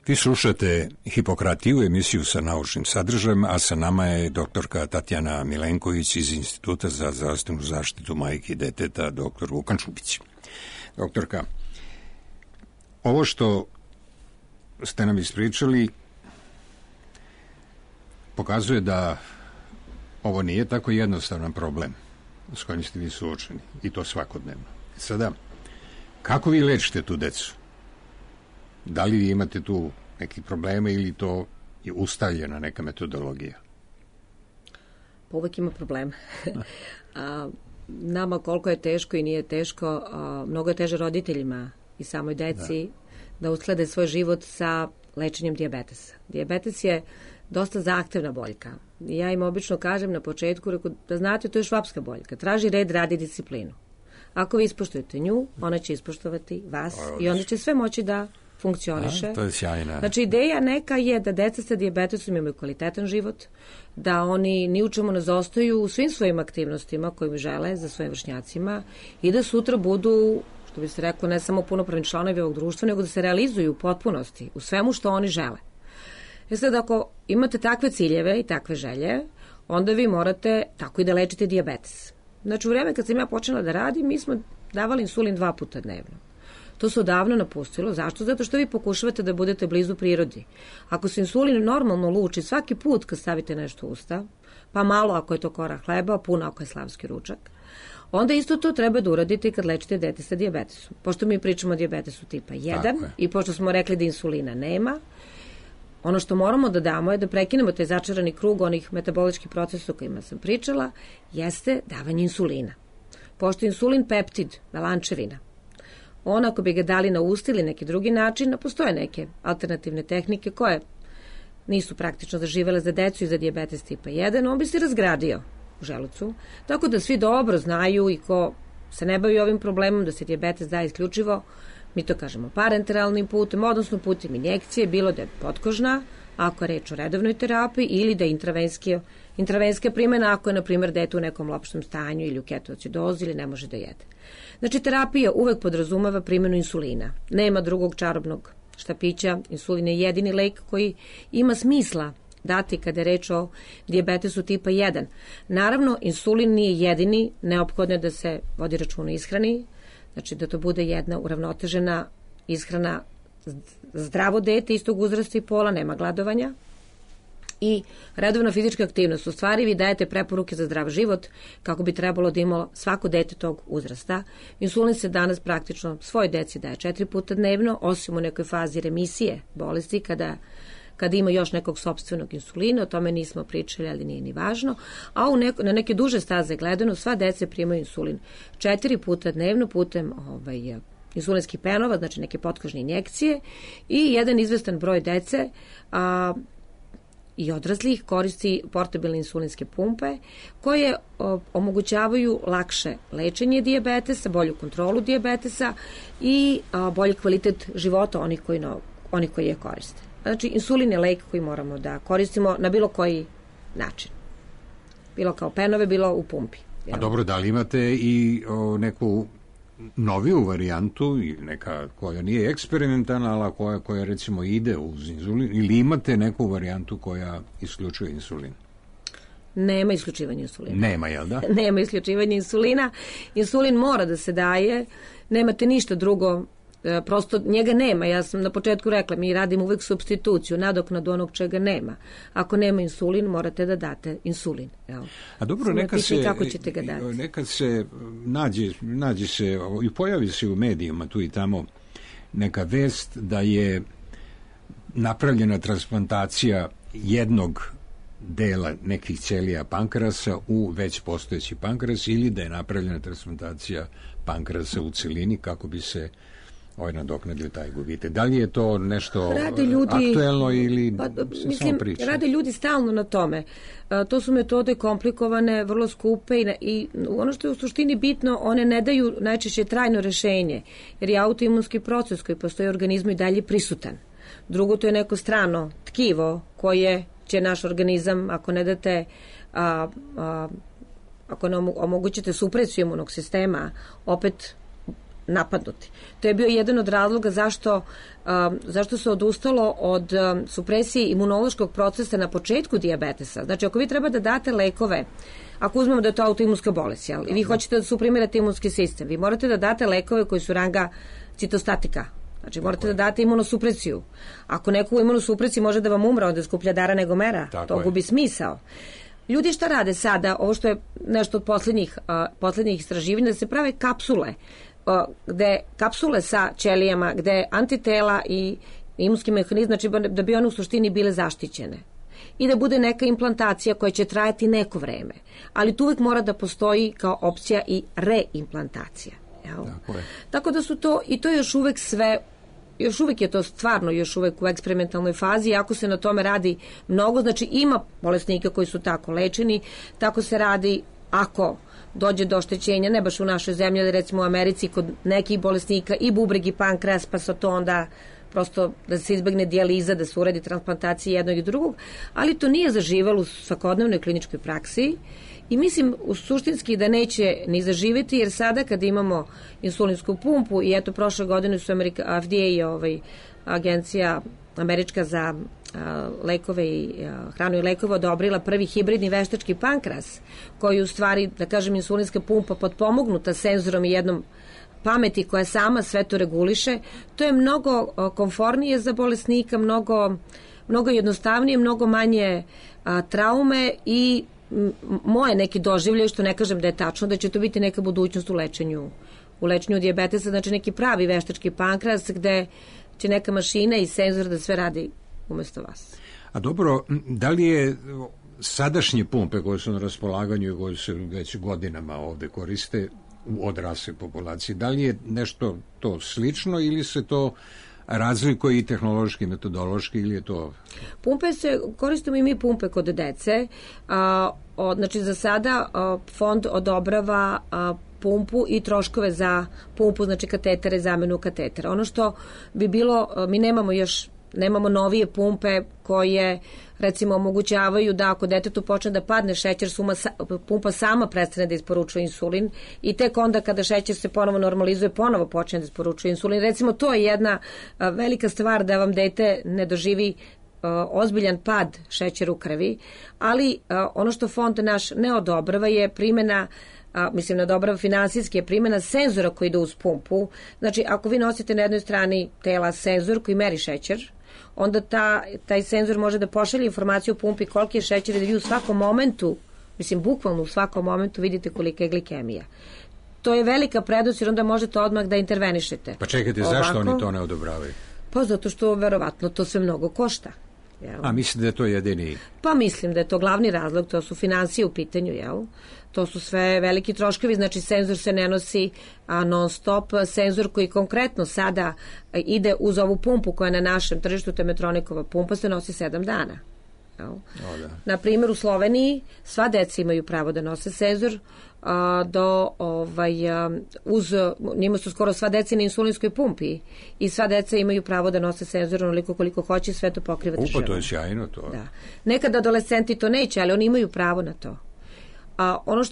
Vi slušate Hipokratiju, emisiju sa naučnim sadržajem, a sa nama je doktorka Tatjana Milenković iz Instituta za zdravstvenu zaštitu majke i deteta, doktor Vukan Čupić. Doktorka, ovo što ste nam ispričali pokazuje da ovo nije tako jednostavan problem s kojim ste vi suočeni, i to svakodnevno. Sada, kako vi lečite tu decu? Da li vi imate tu neki probleme ili to je ustaljena neka metodologija? Pa uvek ima problema. Nama koliko je teško i nije teško, mnogo je teže roditeljima i samoj deci da usklade svoj život sa lečenjem dijabetesa. Dijabetes je dosta zahtevna boljka. Ja im obično kažem na početku, da znate, to je švapska boljka. Traži red, radi disciplinu. Ako vi ispoštujete nju, ona će ispoštovati vas i onda će sve moći da funkcioniše. To je sjajna. Znači, ideja neka je da deca sa dijabetesom imaju kvalitetan život, da oni ni u čemu ne zostaju u svim svojim aktivnostima kojim žele za svojim vršnjacima i da sutra budu, što bi se rekao, ne samo punopravni članovi ovog društva, nego da se realizuju u potpunosti, u svemu što oni žele. Sad, ako imate takve ciljeve i takve želje, onda vi morate tako i da lečite dijabetes. Znači, u vreme kad sam ja počela da radim, mi smo davali insulin 2 puta dnevno. To se odavno napustilo. Zašto? Zato što vi pokušavate da budete blizu prirodi. Ako se insulin normalno luči svaki put kad stavite nešto u usta, pa malo ako je to kora hleba, puno ako je slavski ručak, onda isto to treba da uradite kad lečite dete sa dijabetesom. Pošto mi pričamo o dijabetesu tipa 1 i pošto smo rekli da insulina nema, ono što moramo da damo je da prekinemo taj začarani krug onih metaboličkih procesa o kojima sam pričala, jeste davanje insulina. Pošto je insulin peptid, melančevina, on ako bi ga dali na usta ili neki drugi način, postoje neke alternativne tehnike koje nisu praktično zaživele za decu i za dijabetes tipa 1, on bi se razgradio u želucu. Tako da svi dobro znaju i ko se ne bavi ovim problemom da se dijabetes daje isključivo, mi to kažemo parenteralnim putem, odnosno putem injekcije, bilo da je potkožna, ako je reč o redovnoj terapiji, ili da je intravenska primjena, ako je, na primjer, dete u nekom lopštem stanju ili u ketoacidozi ili ne može da jede. Znači, terapija uvek podrazumeva primjenu insulina. Nema drugog čarobnog štapića, insulin je jedini lek koji ima smisla dati kada je reč o dijabetesu tipa 1. Naravno, insulin nije jedini, neophodno je da se vodi računa o ishrani, znači da to bude jedna uravnotežena ishrana, zdravo dete istog uzrasta i pola, nema gladovanja i redovna fizička aktivnost. U stvari vi dajete preporuke za zdrav život kako bi trebalo da imalo svako dete tog uzrasta. Insulin se danas praktično svoj deci daje 4 puta dnevno, osim u nekoj fazi remisije bolesti kada ima još nekog sopstvenog insulina, o tome nismo pričali, ali nije ni važno, a na neke duže staze gledano sva deca primaju insulin 4 puta dnevno putem insulinskih penova, znači neke potkožne injekcije i jedan izvestan broj dece i odraslih koristi portabilne insulinske pumpe koje omogućavaju lakše lečenje dijabetesa, bolju kontrolu dijabetesa i bolji kvalitet života onih koji je koriste. Znači, insulin je lek koji moramo da koristimo na bilo koji način. Bilo kao penove, bilo u pumpi. A dobro, da li imate i neku noviju varijantu, neka koja nije eksperimentalna, ali koja recimo ide uz insulin, ili imate neku varijantu koja isključuje insulin? Nema isključivanja insulina. Nema, jel da? Nema isključivanja insulina. Insulin mora da se daje, nemate ništa drugo, prosto njega nema. Ja sam na početku rekla, mi radimo uvek supstituciju, nadoknadu onog čega nema. Ako nema insulin, morate da date insulin. Evo. A dobro, nekad se nađe se i pojavi se u medijima tu i tamo neka vest da je napravljena transplantacija jednog dela nekih ćelija pankrasa u već postojeći pankras ili da je napravljena transplantacija pankrasa u celini kako bi se nadoknadio taj gubitak. Da li je to nešto aktuelno ili se samo priča? Rade ljudi stalno na tome. To su metode komplikovane, vrlo skupe i ono što je u suštini bitno, one ne daju najčešće trajno rešenje, jer je autoimunski proces koji postoji u organizmu i dalje prisutan. Drugo, to je neko strano tkivo koje će naš organizam, ako ne date ako ne omogućite supresiju imunog sistema, opet napadnuti. To je bio jedan od razloga zašto se odustalo od supresije imunološkog procesa na početku dijabetesa. Znači, ako vi treba da date lekove, ako uzmemo da je to autoimunska bolest, jel? I vi hoćete da suprimirate imunski sistem, vi morate da date lekove koji su ranga citostatika. Znači, morate da date imunosupresiju. Ako neko u imunosupresiji može da vam umre, onda je skuplja dara nego mera. To gubi smisao. Ljudi šta rade sada, ovo što je nešto od poslednjih istraživanja, da se prave kapsule, kapsule sa ćelijama, gde antitela i imunski mehanizam, znači da bi one u suštini bile zaštićene. I da bude neka implantacija koja će trajati neko vreme. Ali tu uvijek mora da postoji kao opcija i reimplantacija. Tako da su to, i to je još uvek sve, još uvek je to stvarno još uvek u eksperimentalnoj fazi, i ako se na tome radi mnogo, znači ima bolesnika koji su tako lečeni, tako se radi ako dođe do oštećenja, ne baš u našoj zemlji, ali recimo u Americi kod nekih bolesnika i bubreg i pankreas, pa se to onda prosto da se izbegne dijaliza, da se uredi transplantacija jednog i drugog, ali to nije zaživalo u svakodnevnoj kliničkoj praksi i mislim suštinski da neće ni zaživeti, jer sada kad imamo insulinsku pumpu i eto prošle godine su FDA agencija američka za lekove i hranu i lekove odobrila prvi hibridni veštački pankreas, koji u stvari, da kažem, insulinska pumpa potpomognuta senzorom i jednom pameti koja sama sve to reguliše. To je mnogo komfornije za bolesnika, mnogo jednostavnije, mnogo manje traume i moje neki doživljaj, što ne kažem da je tačno, da će to biti neka budućnost u lečenju dijabetesa, znači neki pravi veštački pankreas gde će neka mašina i senzor da sve radi umesto vas. A dobro, da li je sadašnje pumpe koje su na raspolaganju i koje se već godinama ovde koriste u odrasloj populaciji, da li je nešto to slično ili se to razlikuje i tehnološki, metodološki ili je to... Pumpe koristimo i mi pumpe kod dece. Znači za sada fond odobrava pumpu i troškove za pumpu, znači katetere, zamenu katetera. Ono što bi bilo, mi nemamo novije pumpe koje recimo omogućavaju da ako detetu počne da padne šećer, pumpa sama prestane da isporučuje insulin i tek onda kada šećer se ponovo normalizuje, ponovo počne da isporučuje insulin. Recimo to je jedna velika stvar da vam dete ne doživi ozbiljan pad šećera u krvi, ali ono što fond naš ne odobrava je primjena mislim na odobrava finansijski je primjena senzora koji ide uz pumpu. Znači, ako vi nosite na jednoj strani tela senzor koji meri šećer, onda taj senzor može da pošalje informaciju u pumpi koliki je šećer i da vi u svakom momentu, mislim bukvalno u svakom momentu vidite kolika je glikemija. To je velika prednost jer onda možete odmah da intervenišete. Pa čekajte, zašto oni to ne odobravaju? Pa zato što verovatno to sve mnogo košta. Jel? A mislite da je to jedini? Pa mislim da je to glavni razlog, to su finansije u pitanju, jel? To su sve veliki troškovi, znači senzor se ne nosi non stop, senzor koji konkretno sada ide uz ovu pumpu koja je na našem tržištu, to je Medtronicova pumpa, se nosi 7 dana. Na primjer u Sloveniji sva deca imaju pravo da nose senzor, njima su skoro sva deca na insulinskoj pumpi i sva deca imaju pravo da nose senzor onoliko koliko hoće, sve to pokriva država. To je sjajno to. Da. Nekad adolescenti to neće, ali oni imaju pravo na to. Ono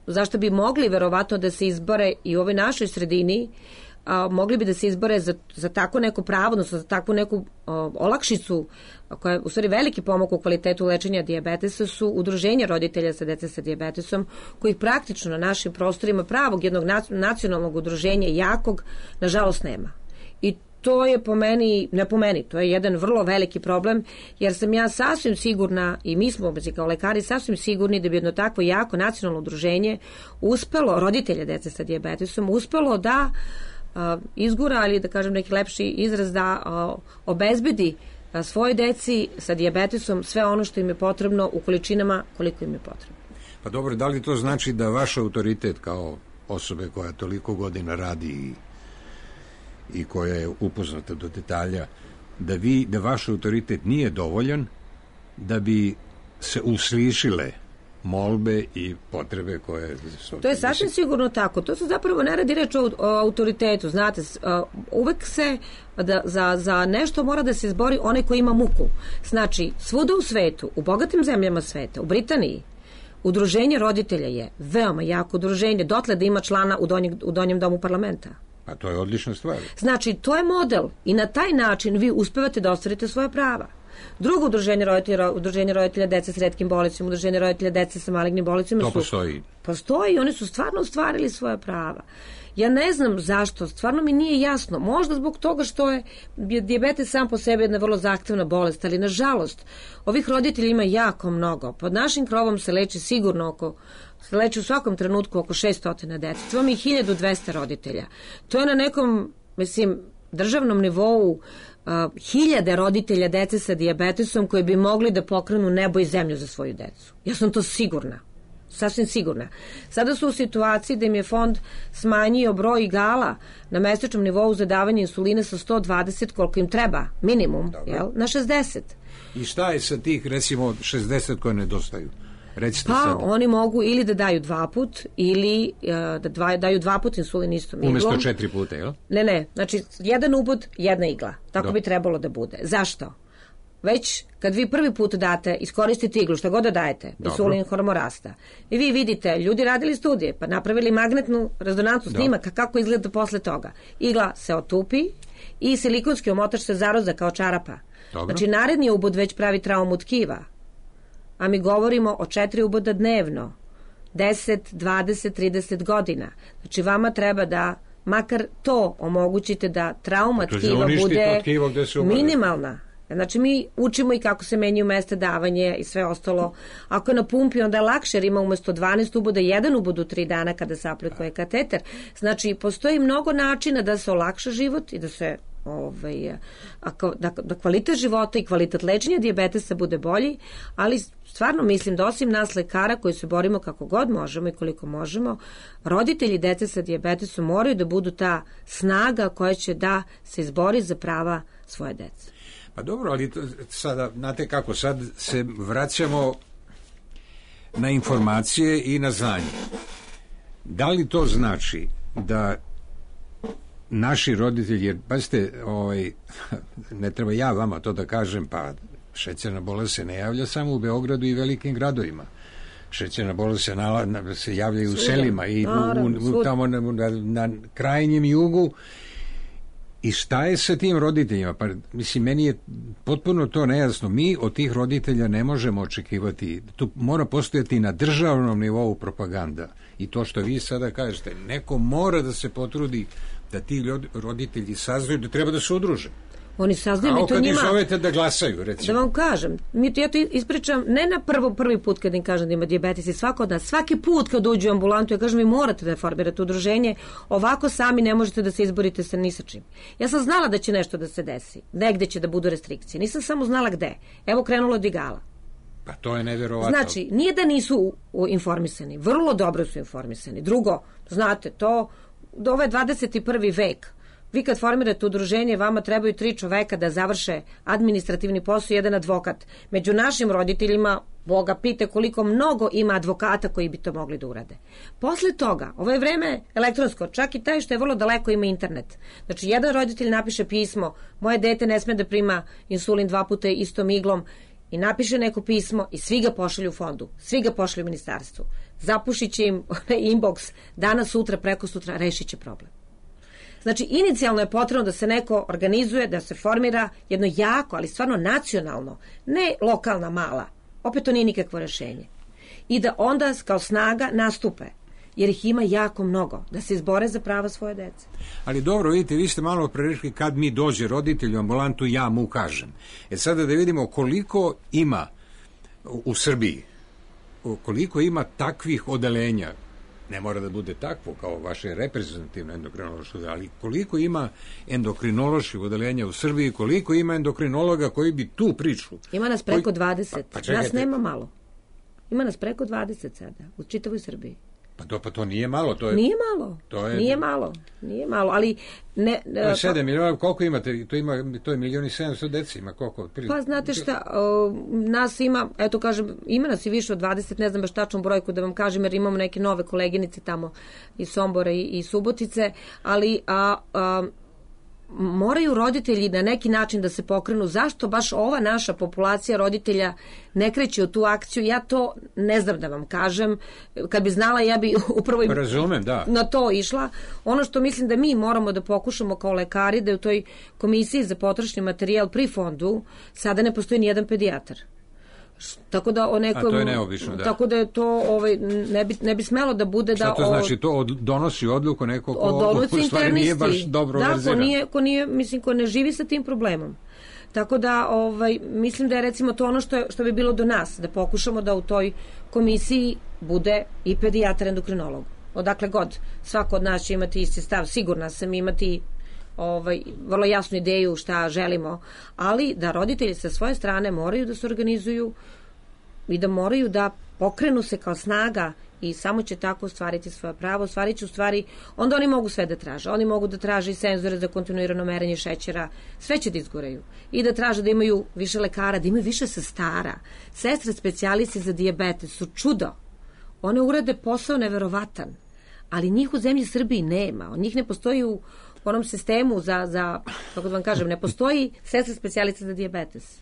zašto bi mogli verovatno da se izbore i u ovoj našoj sredini, mogli bi da se izbore za tako neko pravo, odnosno za takvu neku olakšicu koja je u stvari veliki pomak u kvalitetu lečenja dijabetesa, su udruženja roditelja sa dece sa dijabetesom, kojih praktično na našim prostorima pravog jednog nacionalnog udruženja jakog, nažalost nema. I to je to je jedan vrlo veliki problem, jer sam ja sasvim sigurna i mi smo kao lekari sasvim sigurni da bi jedno takvo jako nacionalno udruženje uspelo, roditelje dece sa dijabetesom, uspelo da izgura, ali da kažem neki lepši izraz, da obezbedi svojoj deci sa dijabetesom sve ono što im je potrebno u količinama koliko im je potrebno. Pa dobro, da li to znači da vaš autoritet kao osobe koja toliko godina radi i koja je upoznata do detalja, da vaš autoritet nije dovoljan da bi se uslišile molbe i potrebe koje... To je sasvim sigurno tako. To se zapravo ne radi reč o autoritetu. Znate, uvek se za nešto mora da se izbori onaj koji ima muku. Znači, svuda u svetu, u bogatim zemljama sveta, u Britaniji, udruženje roditelja je veoma jako udruženje, dotle da ima člana u donjem domu parlamenta. A to je odlična stvar. Znači, to je model i na taj način vi uspevate da ostvarite svoje prava. Drugo udruženje roditelja dece s retkim bolestima, udruženje roditelja dece sa malignim bolestima to postoji. Postoji, oni su stvarno ostvarili svoje prava. Ja ne znam zašto, stvarno mi nije jasno. Možda zbog toga što je dijabetes sam po sebi jedna vrlo zahtevna bolest, ali nažalost ovih roditelja ima jako mnogo. Pod našim krovom se leči sigurno leči u svakom trenutku oko 600 dece. To vam je 1200 roditelja. To je na nekom, državnom nivou hiljade roditelja dece sa dijabetesom koji bi mogli da pokrenu nebo i zemlju za svoju decu. Ja sam to sigurna. Sasvim sigurna. Sada su u situaciji da im je fond smanjio broj igala na mesečnom nivou za davanje insulina sa 120 koliko im treba, minimum, na 60. I šta je sa tih, recimo, 60 koje nedostaju? Recite pa sad. Oni mogu ili da daju 2 put ili da daju 2 put insulin istom iglom. Umesto 4 puta, jel? Ne, znači jedan ubod, jedna igla. Tako Dobro. bi trebalo da bude. Zašto? Već kad vi prvi put date, iskoristite iglu, šta god da dajete, insulin, hormon rasta. I vi vidite, ljudi radili studije, pa napravili magnetnu rezonancu snimaka kako izgleda posle toga. Igla se otupi i silikonski omotač se zaroza kao čarapa. Dobro. Znači, naredni ubod već pravi traumu tkiva. A mi govorimo o 4 uboda dnevno. 10, 20, 30 godina. Znači, vama treba da makar to omogućite da trauma tkiva bude minimalna. Znači, mi učimo i kako se menjaju mesta davanje i sve ostalo. Ako je na pumpi, onda je lakše, jer ima umesto 12 uboda, 1 ubod u 3 dana kada se aplikuje kateter. Znači, postoji mnogo načina da se olakša život i da se da kvalitet života i kvalitet lečenja dijabetesa bude bolji, ali stvarno mislim da osim nas lekara koji se borimo kako god možemo i koliko možemo, roditelji dece sa dijabetesom moraju da budu ta snaga koja će da se izbori za prava svoje dece. Pa dobro, ali sada, znate kako, sad se vraćamo na informacije i na znanje. Da li to znači da naši roditelji, jer pazite, ne treba ja vama to da kažem, pa šećerna bolest se ne javlja samo u Beogradu i velikim gradovima. Šećerna bolest se javlja i u selima i tamo na krajnjem jugu. I šta je sa tim roditeljima? Pa, mislim, meni je potpuno to nejasno. Mi od tih roditelja ne možemo očekivati. Tu mora postojati na državnom nivou propaganda. I to što vi sada kažete, neko mora da se potrudi da ti roditelji saznaju da treba da se udruže. Oni saznaju mi to kad njima... ih zovete da glasaju, recimo. Da vam kažem, ja to ispričam ne na prvi put kad im kažem da ima dijabetes i svako od nas. Svaki put kad uđu u ambulantu, ja kažem, vi morate da formirate udruženje, ovako sami ne možete da se izborite sa ni sa čim. Ja sam znala da će nešto da se desi, negde će da budu restrikcije. Nisam samo znala gde. Evo krenulo od igala. Pa to je neverovatno. Znači, nije da nisu informisani, vrlo dobro su informisani. Drugo, znate, ovo je 21. vek. Vi kad formirate udruženje, vama trebaju 3 čoveka da završe administrativni posao i 1 advokat. Među našim roditeljima, Boga pite koliko mnogo ima advokata koji bi to mogli da urade. Posle toga, ovo je vreme elektronsko, čak i taj što je vrlo daleko ima internet. Znači, jedan roditelj napiše pismo, moje dete ne sme da prima insulin 2 puta istom iglom, i napiše neko pismo i svi ga pošalju u fondu, svi ga pošalju u ministarstvu. Zapušit će im inbox, danas, sutra, preko sutra, rešit će problem. Znači, inicijalno je potrebno da se neko organizuje, da se formira jedno jako, ali stvarno nacionalno, ne lokalna mala, opet to nije nikakvo rešenje. I da onda kao snaga nastupe, jer ih ima jako mnogo, da se izbore za prava svoje dece. Ali dobro, vidite, vi ste malo prerešli kad mi dođe roditelj u ambulantu, ja mu kažem. Sada da vidimo koliko ima u Srbiji, koliko ima takvih odelenja, ne mora da bude takvo kao vaše reprezentativno endokrinološko, ali koliko ima endokrinoloških odelenja u Srbiji, koliko ima endokrinologa koji bi tu priču. Ima nas preko 20, nas nema malo. Ima nas preko 20 sada, u čitavoj Srbiji. Pa to nije malo. Nije malo, ali... 7 miliona, koliko imate? To je 1.700.000 deci, ima koliko? Pa znate šta, nas ima, eto kažem, ima nas i više od 20, ne znam baš tačnu brojku da vam kažem, jer imamo neke nove koleginice tamo iz Sombora i Subotice, ali moraju roditelji na neki način da se pokrenu. Zašto baš ova naša populacija roditelja ne kreće u tu akciju? Ja to ne znam da vam kažem. Kad bi znala, ja bi upravo na to išla. Ono što mislim da mi moramo da pokušamo kao lekari, da je u toj komisiji za potrošni materijal pri fondu sada ne postoji nijedan pedijatar. Tako da to je neobično, da. Tako da je to ne bi smelo da bude Šta to znači? To donosi odluku neko ko u stvari nije baš dobro verziran. Ko ne živi sa tim problemom. Tako da mislim da je recimo to ono što bi bilo do nas, da pokušamo da u toj komisiji bude i pedijatar endokrinolog. Odakle god, svako od nas će imati isti stav, sigurna sam imati vrlo jasnu ideju šta želimo, ali da roditelji sa svoje strane moraju da se organizuju i da moraju da pokrenu se kao snaga i samo će tako ostvariti svoje pravo, ostvarit će u stvari, onda oni mogu sve da traže. Oni mogu da traže i senzore za kontinuirano merenje šećera, sve će da izgoraju. I da traže da imaju više lekara, da imaju više sestara. Sestre specijalisti za dijabetes su čudo. One urade posao neverovatan, ali njih u zemlji Srbiji nema. Od njih ne postoji u onom sistemu za kako da vam kažem, ne postoji sestre specijaliste za dijabetes.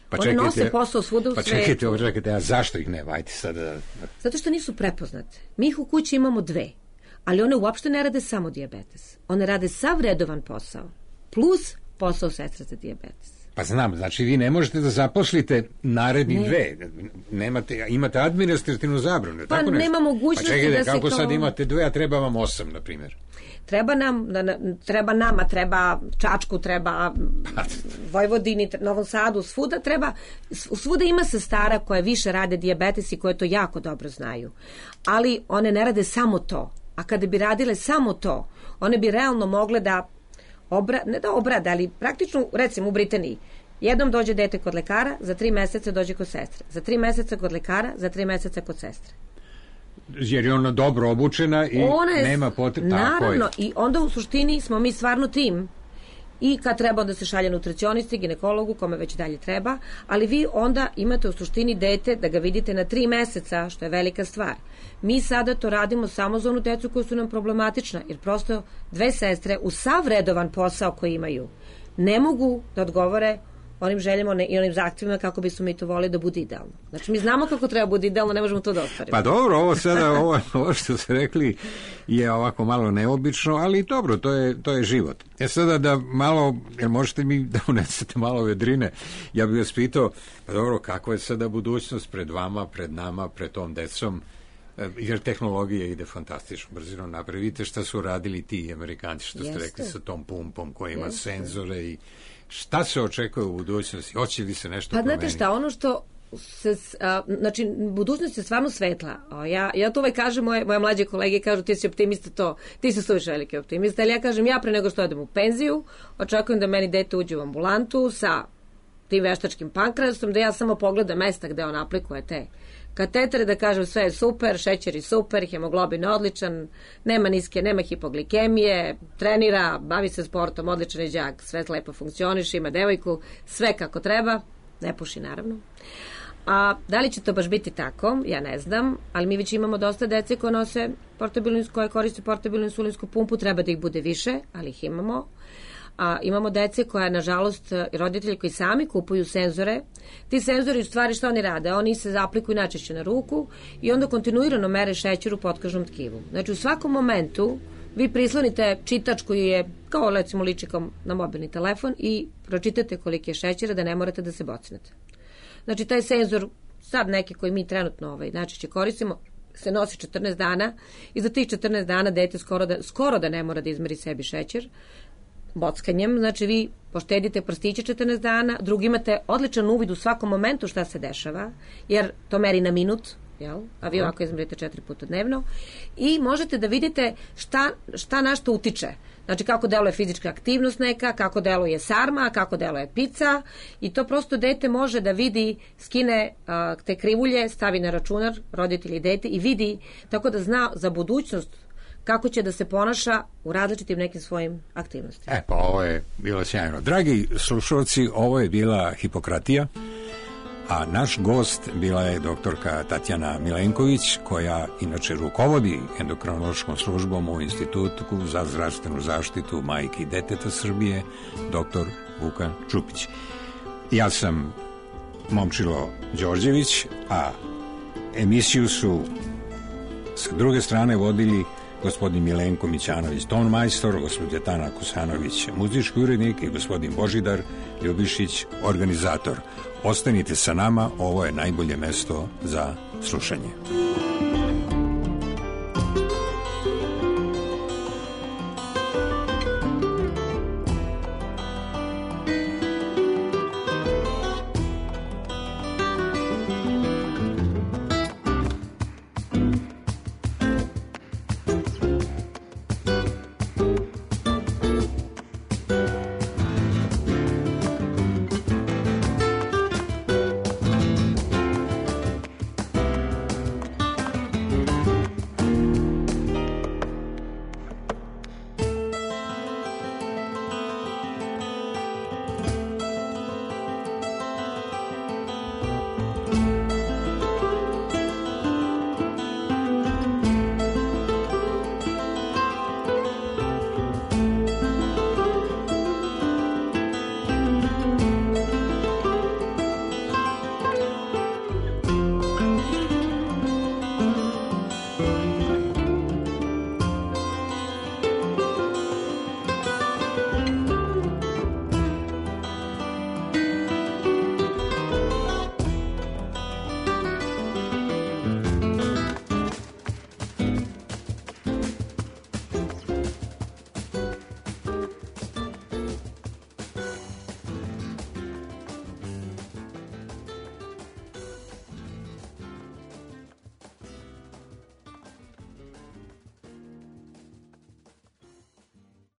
Pa one nose posao svuda u svetu. Pa čekajte, a zašto ih nema? Ajde sada. Zato što nisu prepoznate. Mi ih u kući imamo 2, ali one uopšte ne rade samo dijabetes. One rade sav redovan posao, plus posao sestre za dijabetes. Pa znam, znači vi ne možete da zaposlite narednih 2. Imate administrativnu zabranu. Pa nema mogućnosti pa čekajte, da se kako sad imate 2, a treba vam 8, na primjer? Treba nama, treba Čačku, treba Vojvodini, Novom Sadu, svuda ima sestara koje više rade dijabetes i koje to jako dobro znaju. Ali one ne rade samo to. A kada bi radile samo to, one bi realno mogle da ne da obrade, ali praktično, recimo u Britaniji, jednom dođe dete kod lekara, za 3 meseca dođe kod sestre. Za 3 meseca kod lekara, za 3 meseca kod sestre. Jer je ona dobro obučena i nema potrebe. Naravno, i onda u suštini smo mi stvarno tim. I kad treba da se šalje nutricionisti, ginekologu, kome već dalje treba, ali vi onda imate u suštini dete da ga vidite na 3 meseca, što je velika stvar. Mi sada to radimo samo za onu decu koja su nam problematična, jer prosto 2 sestre u sav redovan posao koji imaju ne mogu da odgovore onim željama i onim zahtjevima kako bismo mi to volili da bude idealno. Znači, mi znamo kako treba bude idealno, ne možemo to da ostvarimo. Pa dobro, ovo sada, ovo što ste rekli je ovako malo neobično, ali dobro, to je život. Sada da malo, jer možete mi da unesete malo vedrine, ja bih vas pitao, pa dobro, kakva je sada budućnost pred vama, pred nama, pred tom decom, jer tehnologija ide fantastično brzinom napred. Vidite šta su radili ti Amerikanci, što ste rekli sa tom pumpom koja ima senzore i šta se očekuje u budućnosti? Hoće li se nešto promeniti? Pa znate šta, ono što znači, budućnost je stvarno svetla. Ja to kažem, moje mlađe kolege kažu ti si optimista, ti si suviše veliki optimista, ali ja kažem, ja pre nego što odem u penziju, očekujem da meni dete uđe u ambulantu sa tim veštačkim pankrasom, da ja samo pogledam mesta gde on aplikuje te katetere, da kažem sve je super, šećer je super, hemoglobin odličan, nema hipoglikemije, trenira, bavi se sportom, odličan je đak, sve lepo funkcioniše, ima devojku, sve kako treba, ne puši naravno. A da li će to baš biti tako, ja ne znam, ali mi već imamo dosta dece koje koriste portabilnu insulinsku pumpu, treba da ih bude više, ali ih imamo. Imamo dece koja, nažalost, roditelji koji sami kupuju senzore. Ti senzori, u stvari, što oni rade? Oni se aplikuju najčešće na ruku i onda kontinuirano mere šećer u potkožnom tkivu. Znači, u svakom momentu vi prislonite čitač koji je, kao recimo liči kao na mobilni telefon i pročitate koliki je šećera da ne morate da se bocnete. Znači, taj senzor, sad neki koji mi trenutno najčešće koristimo, se nosi 14 dana i za tih 14 dana dete skoro da ne mora da izmeri sebi šećer bockanjem, znači vi poštedite prstiće 14 dana, drugi imate odličan uvid u svakom momentu šta se dešava, jer to meri na minut, a vi ovako izmerite 4 puta dnevno i možete da vidite šta na što utiče. Znači kako deluje fizička aktivnost neka, kako deluje sarma, kako deluje pica i to prosto dete može da vidi, skine te krivulje, stavi na računar, roditelji dete i vidi, tako da zna za budućnost kako će da se ponaša u različitim nekim svojim aktivnostima. Pa ovo je bilo sjajno. Dragi slušalci, ovo je bila Hipokratija, a naš gost bila je doktorka Tatjana Milenković, koja inače rukovodi endokrinološkom službom u Institutu za zdravstvenu zaštitu majke i deteta Srbije, doktor Vukan Čupić. Ja sam Momčilo Đorđević, a emisiju su sa druge strane vodili gospodin Milenko Mićanović, tonmajstor, gospođa Tana Kusanović, muzički urednik i gospodin Božidar Ljubišić, organizator. Ostanite sa nama, ovo je najbolje mesto za slušanje.